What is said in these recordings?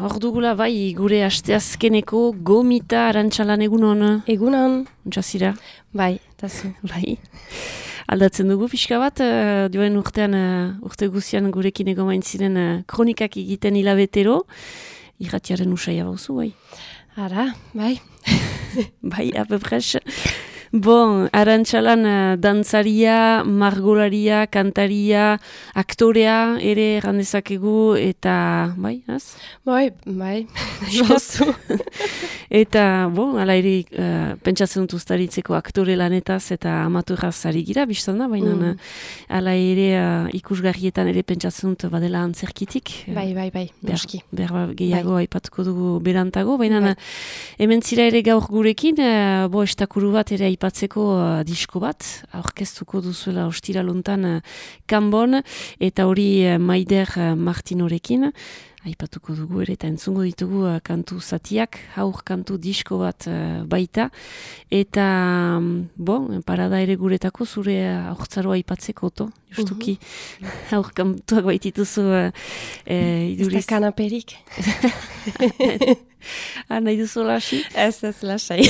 hor dugula bai gure asteazkeneko gomita Arantxalan egunon. Egunon. Untsazira? Bai, tazu. Bai. Aldatzen dugu pixka bat, joen urtean, urte guzian gurekin egomain ziren kronikak egiten hilabetero. Irratiaren usaia bauzu, bai. Ara, bai. Bai, apepres. Bon, Arantxalan dantzaria, margolaria, kantaria, aktorea ere errandezakegu eta, bai, az? Bai, jozu. Eta, bon, ala ere pentsatzen dut ustaritzeko aktore lanetaz eta amaturaz ari gira, biztan da, baina ala ere ikusgarrietan ere pentsatzen dut badela antzerkitik. Bai, noski. Berba gehiago aipatuko dugu berantago, baina hemen zira ere gaur gurekin, estakuru bat ere aipatzeko disko bat, aurkeztuko duzuela ostiraluntan Kanbon, eta hori Maider Martinorekin, aipatuko dugu ere, eta entzungo ditugu kantu zatiak, haur kantu disko bat baita, eta, parada ere guretako zure aurtzaroa aipatzeko, justuki, haur kantuak baitituzu iduriz. Ez da kanaperik. Nahi duzu lasi? Ez lasai.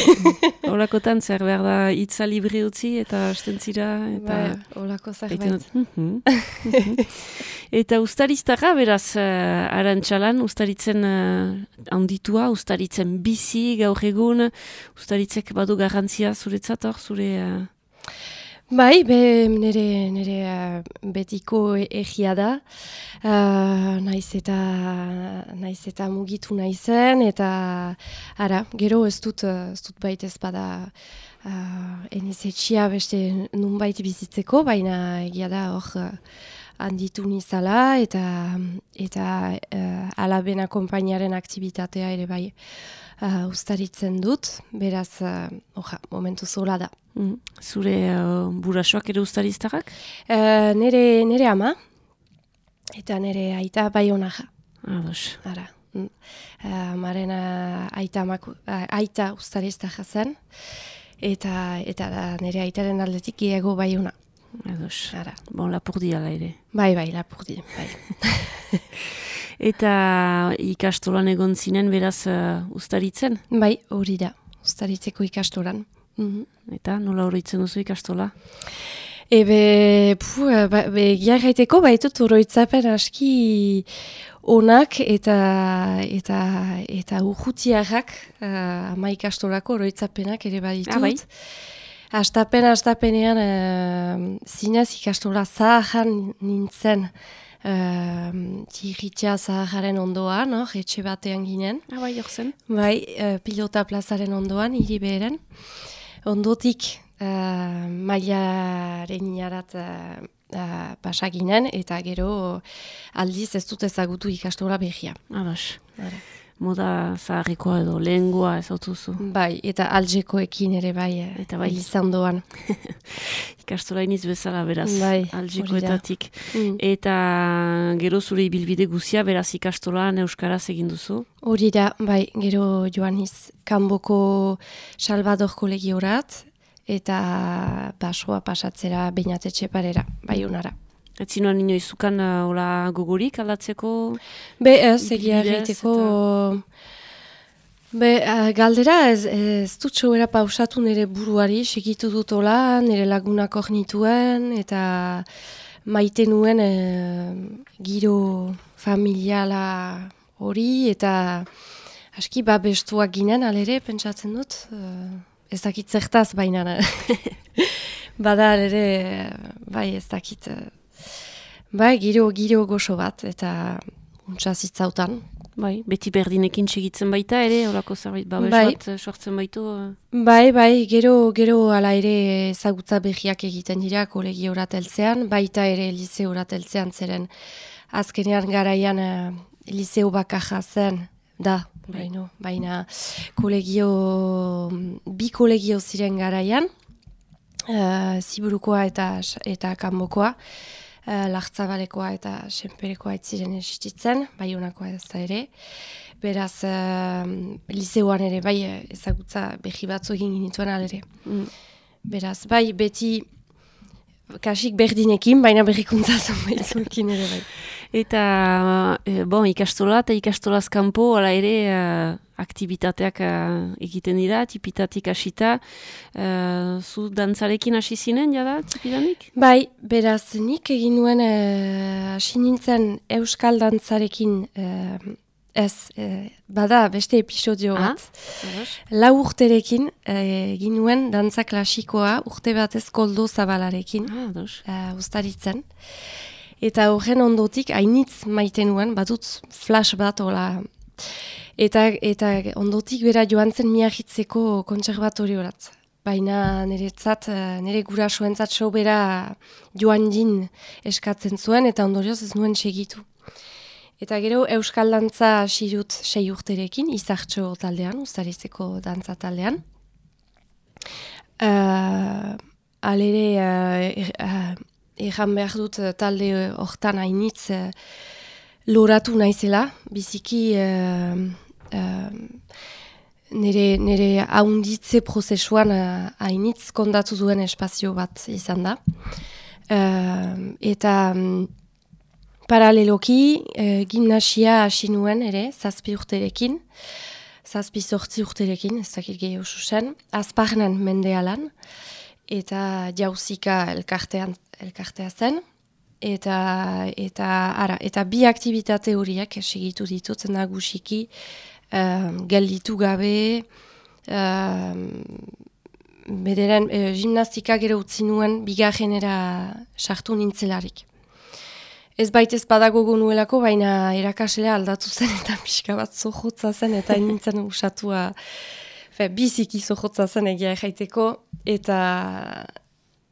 Olakotan zer behar da hitza libri utzi eta astentzira. Olako zerbait. Eta ustariztara beraz Arantxalan, ustaritzen handitua, ustaritzen bizi gaur egun, ustaritzek badu garrantzia zuretzat hor, zure... Bai, nire betiko egia da, naiz eta mugitu naizen, eta ara, gero ez dut baita ez bada enizetxia beste nunbait bizitzeko, baina egia da hor handitu nizala, eta alaben akompainaren aktibitatea ere bai ustaritzen dut, beraz, momentu zola da. Zure burasoak ere ustariztarrak? Nere ama, eta nere aita bai honaja. Ados. Ara. Amaren aita ustariztarra zen, eta nere aitaren aldetik gehiago bai hona. Ados. Ara. Bon, lapurdi ala ere. Bai, lapurdi. Bai. Eta ikastolan egon zinen beraz ustaritzen? Bai, hori da, ustaritzeko ikastolan. Eta nola oroitzen duzu ikastola? Giarraiteko baitut oroitzapen aski onak eta urrutiarrak ama ikastolako oroitzapenak ere baditut. Bai. Astapenean zinez ikastola zaharran nintzen tirritia zaharren ondoan, etxe batean ginen. Bai, jorzen. Bai, pilota plazaren ondoan, hiri beheren. Ondotik mailaren inarat pasaginen, eta gero aldiz ez dut ezagutu ikastola behia. Ados. Moda zaharrikoa edo lengua ez autuzu. Bai, eta aljekoekin ere bai, eta bai izan doan. Ikastola iniz bezala beraz, bai, aljekoetatik. Eta gero zure ibilbide guzia beraz ikastolan euskaraz egin duzu? Hori da, bai, gero joaniz Kanboko Salvador kolegiorat, eta basoa pasatzera Beñatetxe parera, bai honara. Ez zinuan inoizukan hola gogorik aldatzeko? Ez, egia egiteko... Galdera ez dut txoera pausatu nire buruari, segitu dut hola, nire lagunak hor nituen, eta maite nuen giro familiala hori, eta aski babestuak ginen, alere, pentsatzen dut, ez dakit zertaz baina. Bada alere, bai ez dakit... Bai, giro goxo bat, eta untsazitzautan. Bai, beti berdinekin segitzen baita ere, horako zerbait babes bat sortzen baitu? Bai, gero ala ere ezagutza behiak egiten dira kolegiorat heltzean, baita ere liseorat heltzean zeren azkenean garaian liseo bakarra zen, da, baina bi kolegio ziren garaian, Ziburukoa eta Kanbokoa, Lartzabalekoa eta Senperekoa ez ziren existitzen, Baionakoa ez da ere. Beraz, liseoan ere bai ezagutza behi batzu egin ginituen alere. Beraz, bai beti kasik berdinekin, baina berrikuntza zonbaitzuekin ere bai. Eta, ikastola eta ikastolaz kanpo, hala ere, aktivitateak egiten dira, tipitatik hasita. Zu dantzarekin hasi zinen, jada, tipidanik? Bai, beraz, nik egin nuen hasi nintzen euskal dantzarekin bada beste episodio bat. Lau urterekin egin nuen dantza klasikoa urte batez Koldo Zabalarekin ustaritzen. Eta horren ondotik hainitz maite nuen, batut flash bat, hola. Eta ondotik bera joan zen Miagitzeko kontserbatoriorat. Baina nire gurasoentzat bera joan din eskatzen zuen, eta ondorioz ez nuen segitu. Eta gero euskal dantza hasi dut 6 urterekin, Izartxo taldean, Ustaritzeko dantza taldean. Egan behar dut talde hortan hainitz loratu naizela, biziki nire haunditze prozesuan hainitz kondatu duen espazio bat izan da. Eta paraleloki gimnasia hasi nuen ere, 7 urterekin, 7-8 urterekin, ez dakit gehiago zuzen, Azparnen Mendealan, eta Jauzika elkartea zen, eta bi aktibitate horiek segitu ditut nagusiki, gelditu gabe, bederen gimnastika gero utzi nuen bigarrenera sartu nintzelarik. Ez baitez badagogo nuelako, baina erakaslea aldatu zen eta pixka bat zohotza zen, eta nintzen usatua biziki zohotza zen egia jaiteko, eta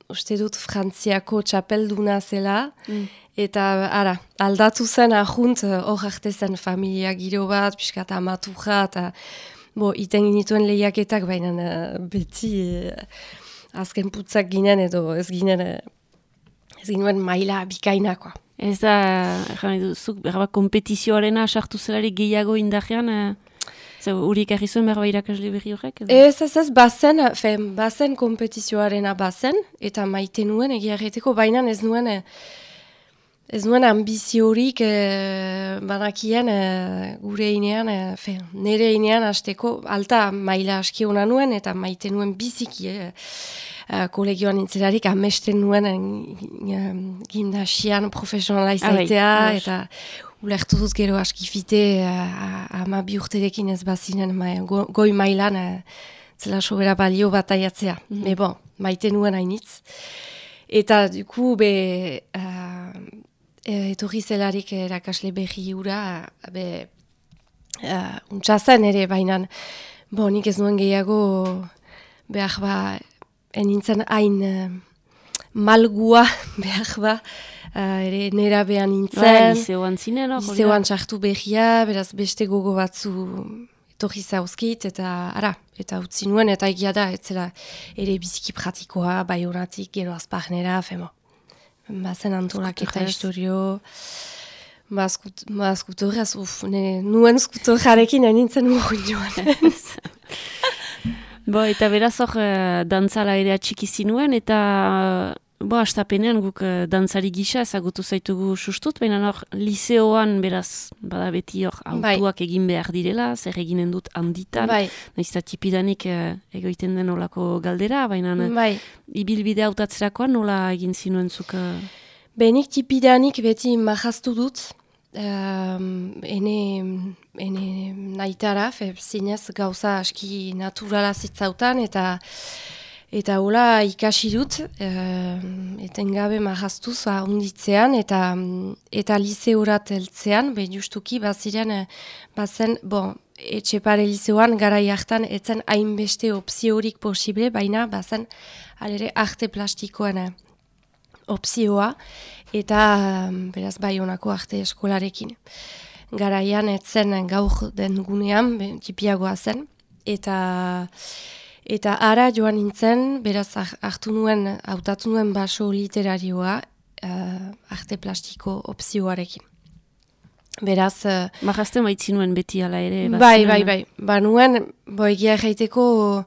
uste dut Frantziako txapelduna zela, eta aldatu zen ahunt hor arte zen familia giro bat, pixka eta amaturra, eta iten ginituen lehiaketak, baina beti azken putzak ginen edo ez ginen maila bikainakoa. Ez da, zuk kompetizioarena sartu zelarik gehiago indarrean, huriek argi zuen berba irakasle berri horrek? Ez, bazen kompetizioarena bazen, eta maite nuen egia erreteko, baina ez nuen ambiziorik banakien gure inean, nire inean hasteko alta maila aski hona nuen, eta maite nuen biziki kolegioan nintzelarik amesten nuen gimnasian profesionala izaitea, eta ulertu dut gero askifite 12 urterekin ez bazinen goi mailan zela sobera balio bataiatzea. Maite nuen hainitz. Eta duku etorri zelarik erakasle berri hura, untxazen ere, baina nik ez nuen gehiago behar enintzen hain malgua behar ere nera behan nintzen. Liseoan zinen, hor? Liseoan txartu behia, beraz beste gogo batzu etorri zauzkit, eta utzi nuen, eta egia da, etzela ere biziki pratikoa, bai horatik, gero Azparnera, bazen antolak eta historio, skutorraz, nuen skutorrarekin nintzen urgun joan. Eta beraz hor dantzala ere atxiki zinuen, eta astapenean guk dantzari gisa ezagutu zaitugu sustut, baina hor liseoan beraz, bada beti hor autuak egin behar direla, zer eginen dut handitan, nahiz eta tipidanik egoiten den olako galdera, baina ibilbide hautatzerakoan nola egin zinuen zuk? Benik tipidanik beti mahaztu dut, ene naitara, zinez gauza aski naturala zitzautan, eta hola ikasi dut, etengabe mahaztuz ahonditzean, eta liseorat heltzean, justuki bazen, etxepare liseoan garai hartan etzen hainbeste opziorik posible, baina bazen alere arte plastikoan opzioa, eta beraz bai honako arte eskolarekin. Garaian etzen gaur den gunean, tipiagoa zen, eta ara joan nintzen, beraz hautatu nuen baso literarioa arte plastiko opzioarekin. Beraz... Mahazten baitzinuen beti ala ere? Bai. Nuen, egia erraiteko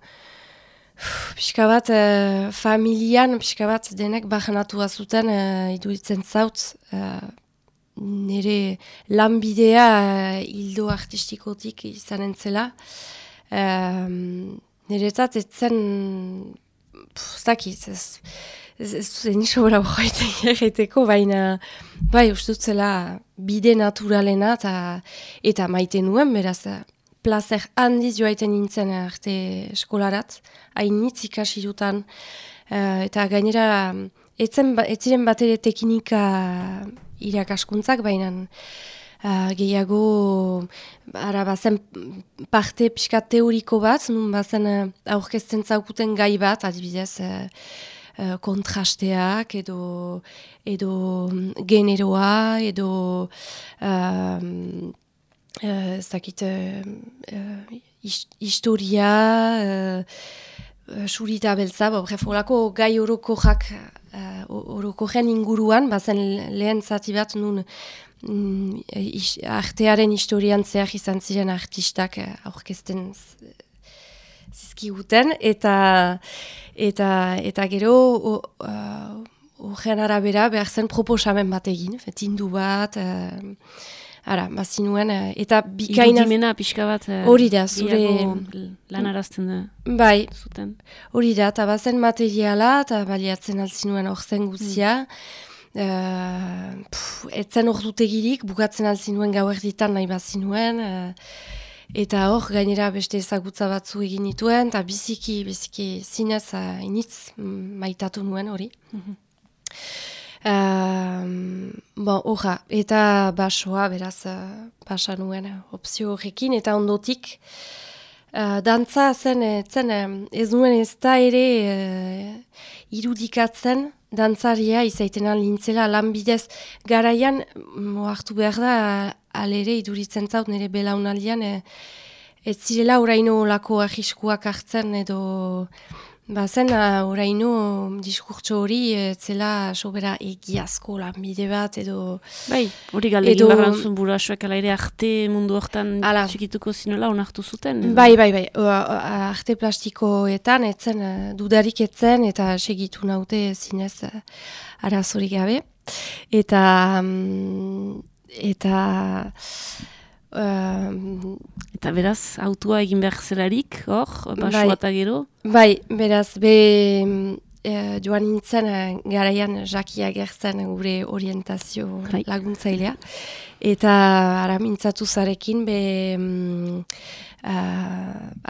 Pixka bat, familian, pixka bat denek bajanatu zuten iduritzen zaut, nire lanbidea hildo artistikotik izanen zela. Niretzat etzen, ez zen isobra horreteko, baina bai, ustutzela bide naturalena eta maite nuen, beraz, plazer handiz joaiten nintzen arte eskolarat, hainitz ikasi dutan, eta gainera, etziren bat ere teknika irakaskuntzak, baina gehiago bazen parte pixka teoriko bat, nun bazen aurkezten zaukuten gai bat, adibidez kontrasteak edo generoa edo historia, surita beltza, bref, horako gai orokoren inguruan, bazen lehen zati bat nun artearen historian zehar izan ziren artistak aurkezten zizkiguten, eta gero horren arabera behar zen proposamen bat egin, tindu bat, bazinuen, eta bikaina... Irudimena pixka bat hori da, zure... lanarazten bai, zuten. Hori da, eta bazen materiala, eta baliatzen altzinuen hor zen guzia. Etzen hor dutegirik, bukatzen altzinuen gauerditan nahi bazinuen, eta hor gainera beste ezagutza batzu egin nituen, eta biziki zinez initz maitatu nuen hori. Eta basoa, beraz, pasa nuen opzio horrekin, eta ondotik, dantza zen, ez nuen ez da ere irudikatzen, dantzaria izaiten lintzela lanbidez garaian, hartu behar da, alere iduritzen zaut nire belaunaldian, ez zirela oraino lako ahiskuak hartzen edo... Bazen, oraino diskurtso hori zela sobera egiazko lanbide bat edo... Bai, hori galdegin barrantzun burasuak ala ere arte mundu hortan txikituko zinuela onartu zuten? Edo? Bai, arte plastikoetan etzen, dudarik etzen eta segitu naute zinez arazorik gabe. Eta beraz, autua egin behar zelarik, hor, basoa eta gero? Bai, beraz, joan nintzen garaian Jaki Agertzen gure orientazio laguntzailea. Eta ara mintzatu zarekin,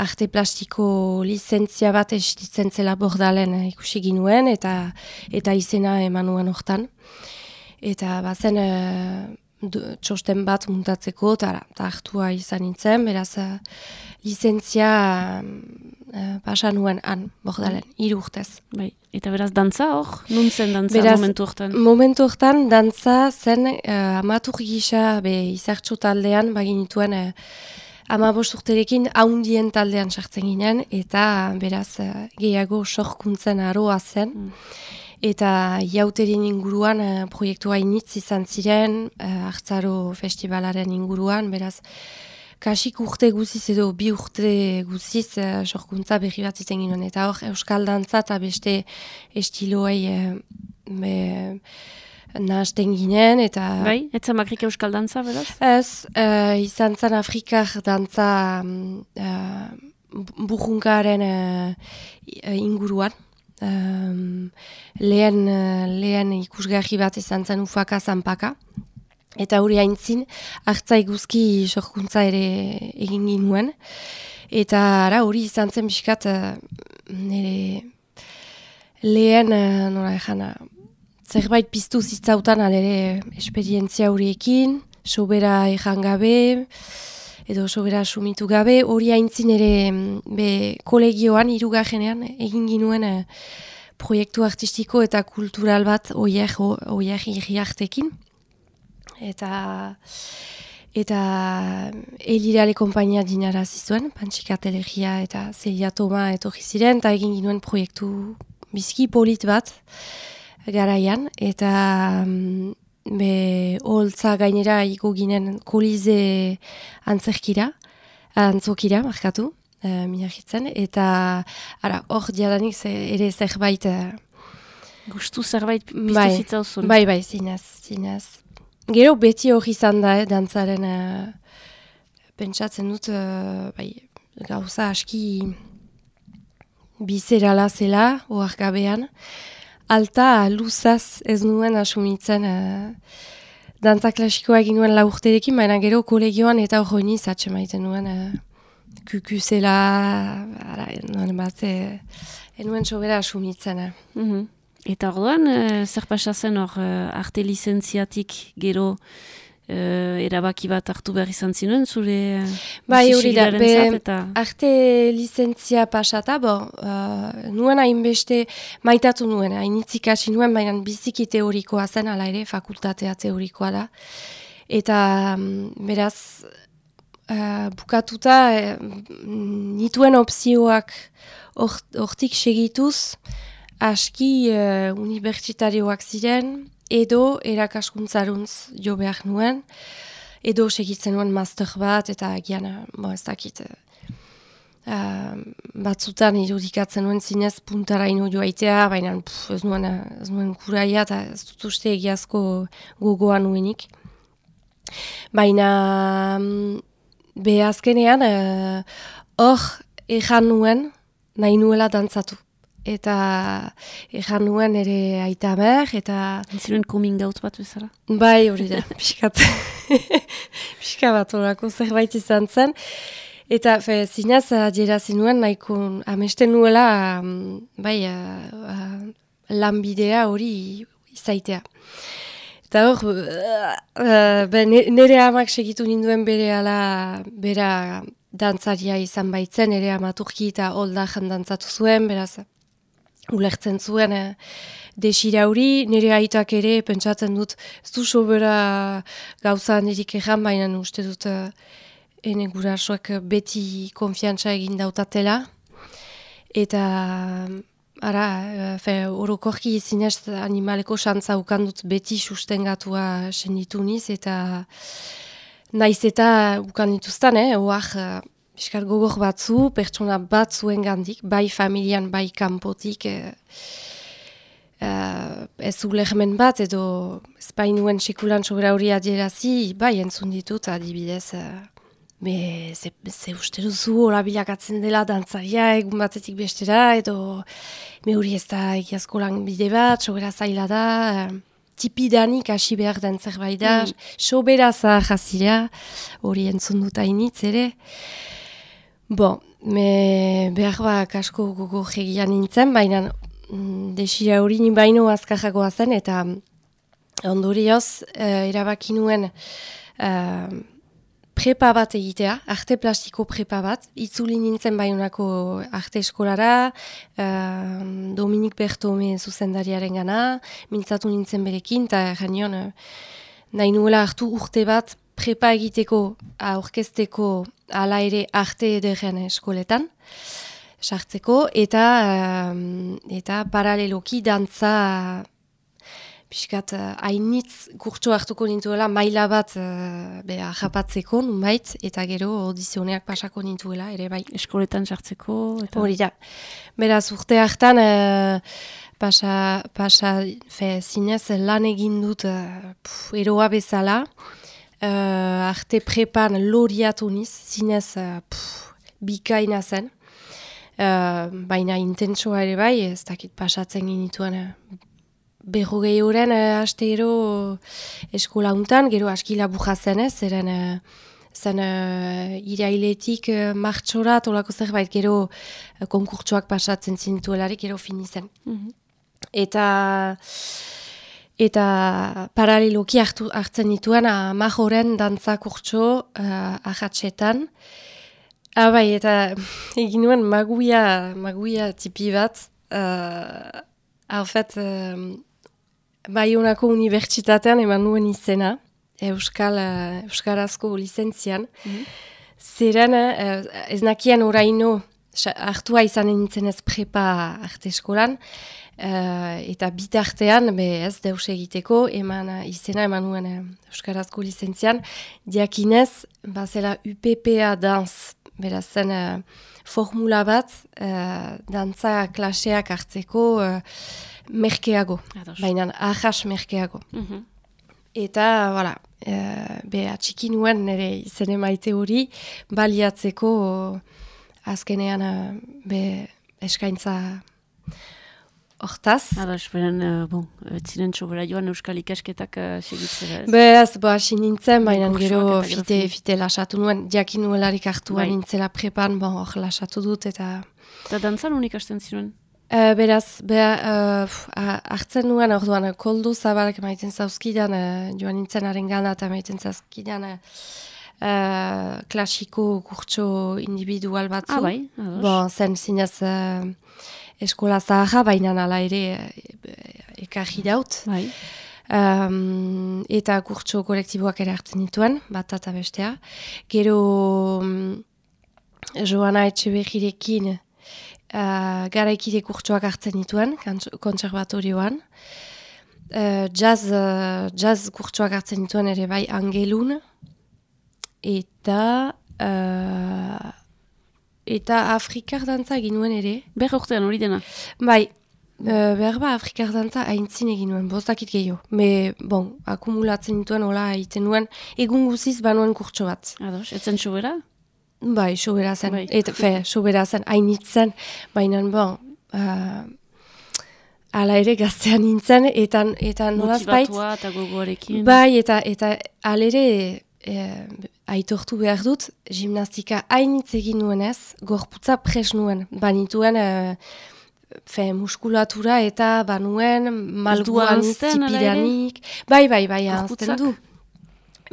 arte plastiko lizentzia bat estitzen zela Bordalen ikusi ginuen, eta izena eman nuen hortan. Eta bazen... txosten bat muntatzeko, eta hartua izan nintzen, beraz, lizentzia pasa nuen Bordalen, 3 urtez. Bai. Eta beraz, dantza hor? Nun zen dantza momentu hortan? Momentu hortan, dantza zen amatur gisa izartxo taldean, baginituen 15 urterekin haundien taldean sartzen ginen, eta beraz, gehiago sorkuntzen aroa zen. Eta jauterien inguruan proiektua initz izan ziren, Hartzaro festivalaren inguruan, beraz, kasik urte guziz edo 2 urte guziz sorkuntza berri bat izan ginen. Eta hor, euskal dantza eta beste estiloei nahasten ginen. Bai, etzen bakrik euskal dantza, beraz? Ez, izan zen Afrikar dantza burrunkaren inguruan. Lehen ikusgarri bat izan zen Ufaka Zanpaka. Eta hori haintzin, hartzai guzki sorkuntza ere egin ginuen. Eta hori izan zen biskat nire lehen, zerbait piztu zitzautan alere esperientzia horiekin, sobera ejan gabe, edo sobera sumitu gabe, hori haintzin ere kolegioan, 3. egin ginuen proiektu artistiko eta kultural bat oier irriartekin. Eta Elirale kompainia dinara zizuen, Pantxika Telegia eta Zelia Toma etorri ziren, eta egin ginuen proiektu bizki polit bat garaian, eta holtza gainera iko ginen Kolize antzokira, markatu, Miarritzen, eta hor diadanik ere zerbait... Gustu zerbait piztu zitzauzun. Bai, zinez. Gero beti hori izan da, dantzaren pentsatzen dut, gauza aski bizerala zela, oarkabean. Alta luzaz ez nuen asumitzen dantza klasikoa egin nuen 4 urterekin, baina gero kolegioan eta hori niz atxemaiten nuen kuku zela, nuen bat, enuen sobera asumitzen. Eta orduan, zer pasa zen hor arte lizentziatik gero erabaki bat hartu behar izan zinuen, zure bizisigilaren zat, eta... Arte lizentzia pasata, nuen hainbeste maitatu nuen, hainitzik hasi nuen, baina biziki teorikoa zen, ala ere, fakultatea teorikoa da. Eta beraz, bukatuta, nituen opzioak hortik segituz, aski unibertsitarioak ziren, edo erakaskuntzaruntz jo behar nuen, edo segitzen nuen master bat, eta gian, ez dakit, batzutan irudikatzen nuen zinez puntaraino joaitea, baina ez nuen kuraia, eta ez dut uste egiazko gogoa nuenik. Baina, azkenean, hor ejan nuen, nahi nuela dantzatu. Eta ejan nuen ere aitamer, eta... Ziren coming out bat bezala? Bai, hori da, pixkat. Pixka bat horako zerbait izan zen. Eta zinez, adierazi nuen, nahiko amesten nuela, lanbidea hori izaitea. Eta hor, nire amak segitu ninduen bera dantzaria izan baitzen, nire amaturki eta holdajan dantzatu zuen, beraz... Ulertzen zuen desira hori, nire aitak ere pentsatzen dut ez du sobera gauza nirik egan, baina uste dut ene gurasoak beti konfiantza egin dautatela. Eta orokorki zinez animaleko xantza ukandut beti sustengatua senditu niz, eta naiz eta ukandituztan, Piskar gogor batzu, pertsona bat zuen gandik, bai familian, bai kanpotik, ez ulermen bat, edo espainuen sekulan sobera hori adierazi, bai entzun ditut, adibidez, ze uste duzu horabilakatzen dela dantzaria egun batetik bestera, edo me hori ez da egiazko lan bide bat, sobera zaila da, tipidanik hasi behar den zerbait da, sobera zahazira, hori entzun dut hainitz ere. Behar asko gogo jegian nintzen, baina desira hori ni baino azkarragoa zen, eta ondorioz erabaki nuen prepa bat egitea, arte plastiko prepa bat, itzuli nintzen baionako arte eskolara, Dominik Bertome zuzendariaren gana, mintzatu nintzen berekin, eta genion nahi nuela hartu urte bat prepa egiteko, aurkezteko, ala ere arte ederren eskoletan, sartzeko, eta paraleloki dantza piskat hainitz kurtso hartuko nintuela, maila bat japatzeko, nunbait, eta gero audizioneak pasako nintuela, ere bai. Eskoletan sartzeko? Hori da. Beraz, urte hartan, zinez lan egin dut eroa bezala, arte prepan loriatu niz, zinez bikaina zen. Baina intentsoa ere bai, ez dakit pasatzen ginituen 40 horren astero eskola untan, gero aski laburra zen ez, zen irailetik martxora, tolako zerbait, gero konkurtsoak pasatzen zinituelarik, gero fini zen. Eta paraleloki hartzen dituen 10 horren dantza kurtso ahatsetan. Bai, eta egin nuen maguia tipi bat. Baionako unibertsitatean eman nuen izena, euskarazko lizentzian. Zeren, ez nakien oraino hartua izanen nintzen ez prepa arte eskolan, eta bitartean, ez deus egiteko, izena eman nuen euskarazko lizentzian, diakinez, bazela UPPA danz beraz zen formula bat dantza klaseak hartzeko merkeago, baina ahas merkeago. Eta, voilà, atxiki nuen nire izen emaite hori baliatzeko azkenean eskaintza hortaz. Esperen, ziren txobera joan euskal ikasketak segitzera ez? Beraz, hasi nintzen, baina gero fite lasatu nuen, jakin nuelarik hartuan nintzela prepan, hor lasatu dut eta... Eta dantzan unik hasten ziren? Beraz, hartzen nuen orduan, koldo zabalak maiten zauzkidan, joan nintzen haren gana eta maiten zauzkidan klasiko kurtso individual batzu. Bai, zen zinez eskola zaharra, baina nala ere ekarri daut. Bai. Eta kurtso kolektiboak ere hartzen dituen, bat eta bestea. Gero Joana Etxeberrirekin garaikide kurtsoak hartzen dituen, kontserbatorioan. Jazz kurtsoak hartzen dituen ere bai Angelun. Eta Afrikar dantza egin nuen ere. Behar urtean hori dena? Bai, behar Afrikar dantza haintzin egin nuen, bostakit gehiago. Akumulatzen dituen, hola egiten nuen, egun guziz banuen kurtso bat. Ados, etzen sobera? Bai, sobera zen. Sobera zen, hainitzen, baina ala ere gaztean nintzen, eta nolaz bait. Motibatua eta gogoarekin. Bai, eta alere aitortu behar dut, gimnastika hainitz egin nuenez, gorputza pres nuen. Banituen muskulatura eta banuen malguan zipiranik. Bai, ahazten du.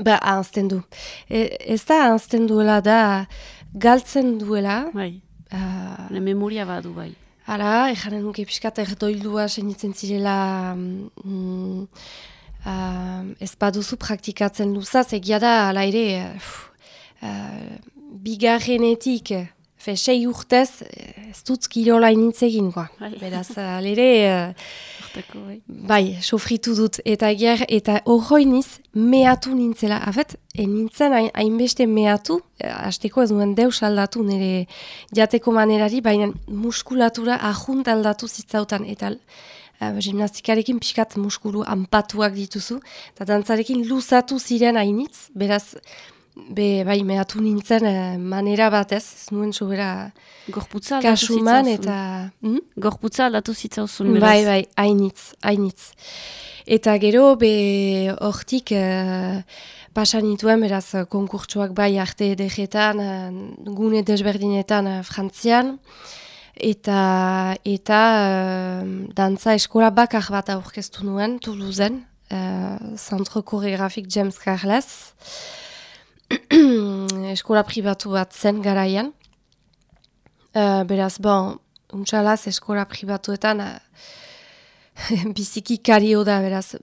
Ahazten du. Ez da ahazten duela da galtzen duela. Bai, memoria badu bai. Ara, ejanen nuke pixkat erdoildua senitzen zirela ez baduzu praktikatzen luzaz, egia da, ala ere, bigarrenetik, 6 urtez, ez dut kirola initz egin, beraz, ala ere, bai, sofritu dut, eta horroiniz, mehatu nintzela, nintzen hainbeste mehatu, hasteko ez nuen deus aldatu nire jateko manerari, baina muskulatura ajunt aldatu zitzautan, eta gimnastikarekin pixkat muskulu anpatuak dituzu, eta dantzarekin luzatu ziren hainitz, beraz, bai, mehatu nintzen manera batez, ez nuen sobera kasuman, eta... Gorputza aldatu zitzauzun, beraz? Bai, hainitz. Eta gero, hortik pasan nituen, beraz, konkurtsoak bai arte edegetan, gune desberdinetan Frantzian, eta dantza eskola bakar bat aurkeztu nuen, Toulousen, Centre Chorégraphique James Carles, eskola pribatu bat zen garaian. Beraz, untxalaz eskola pribatuetan biziki kario da, beraz,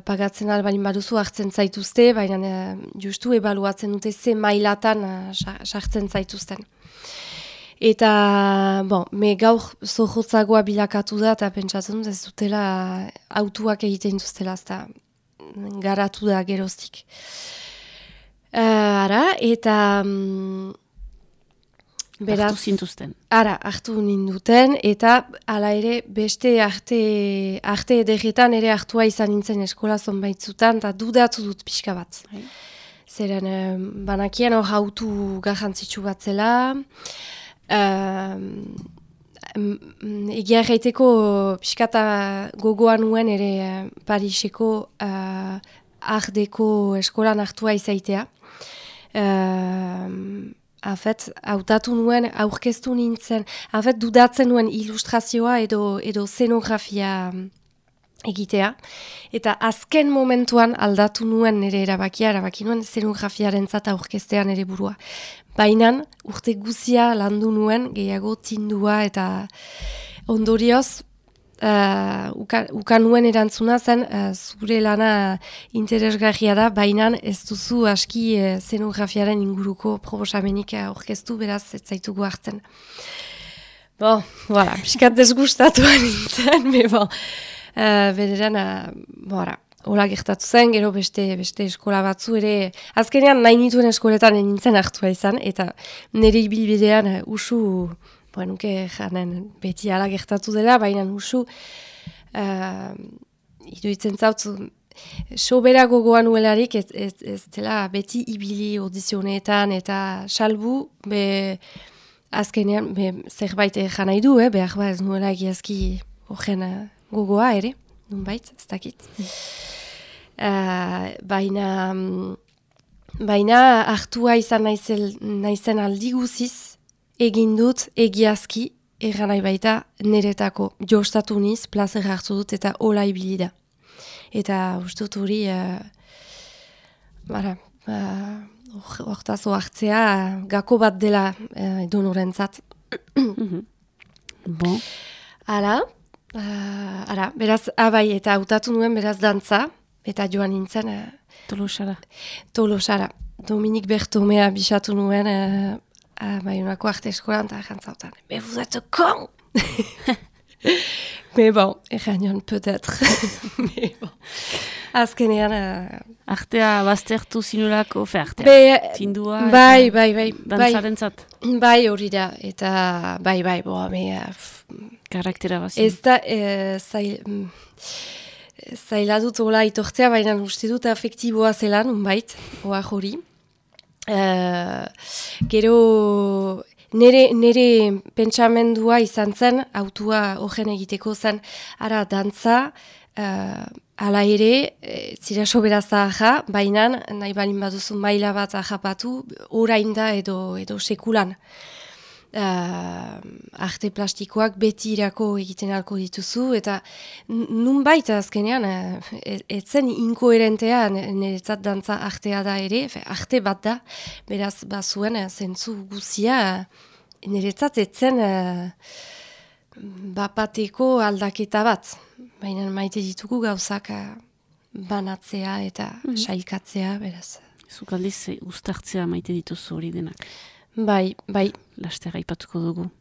pagatzen albalin baduzu hartzen zaituzte, baina justu ebaluatzen dute ze mailatan sartzen zaituzten. Eta, me gaur zohotzagoa bilakatu da, eta pentsatzen dut ez dutela autuak egiten duztela, ez da garatu da geroztik. Eta... Beraz, hartu zintuzten. Hartu ninduten, eta ala ere beste arte ederretan ere hartua izan nintzen eskola zonbaitzutan, eta dudatu dut pixka bat. Zeren, banakien hor autu garrantzitsu bat zela, egia erraiteko pixkata gogoan nuen ere Pariseko ardeko eskolan hartua izaitea. Hautatu nuen, aurkeztu nintzen, dudatzen nuen ilustrazioa edo szenografia egitea. Eta azken momentuan aldatu nuen nire erabaki nuen szenografiaren zata aurkeztean ere burua. Baina urte guzia landu nuen, gehiago tindua eta ondorioz, ukan nuen erantzuna zen, zure lana interesgarria da, baina ez duzu aski szenografiaren inguruko proposamenik aurkeztu, beraz ez zaitugu hartzen. Piskat desgustatuan nintzen, bederan, hola gertatu zen, gero beste eskola batzu ere, azkenean nahi nituen eskoletan nintzen hartua izan, eta nire ibilbidean usu, nuke janen beti ala gertatu dela, baina usu, iruditzen zautzu, sobera gogoan nuelarik ez dela beti ibili audizionetan, eta salbu, azkenean, zerbait jan nahi du, behar ba ez nuela egiazki horren gogoa ere, nunbait, ez dakit. Baina hartua izan naizen aldi guziz, egin dut egiazki, erran nahi baita, niretako jostatu niz, plazer hartu dut eta hola ibili da. Eta uste dut hori, hortazo hartzea, gako bat dela donorentzat. Bon. Beraz, abai, eta hautatu nuen beraz dantza, eta joan nintzen... Tolosara. Dominik Bertomea bisatu nuen, Baionako arte eskolan, eta jantzautan. Mais vous êtes con! Mais bon, errainion, peut-être. Mais bon. Azkenean... Artea baztertu zinulako, artea. Tindua, bai. Dantzarentzat. Bai, hori da. Eta bai, karaktera bazin. Ez da, zaila dut hola itortzea, baina uste dut afektiboa zelan, unbait, oa hori. Gero, nere pentsamendua izan zen, autua horren egiteko zen, ara dantza, ala ere, zira sobera zaharra, baina nahi balin baduzu maila bat ahapatu, orain da edo sekulan. Arte plastikoak beti irako egiten alko dituzu, eta nunbait azkenean, etzen inkoherentea niretzat dantza artea da ere, arte bat da, beraz bazuen zentzu guzia, niretzat etzen bapateko aldaketa bat, baina maite ditugu gauzak banatzea eta sailkatzea, beraz. Zuk aldiz, ustartzea maite dituzu hori denak. Bai. Laster aipatuko dugu.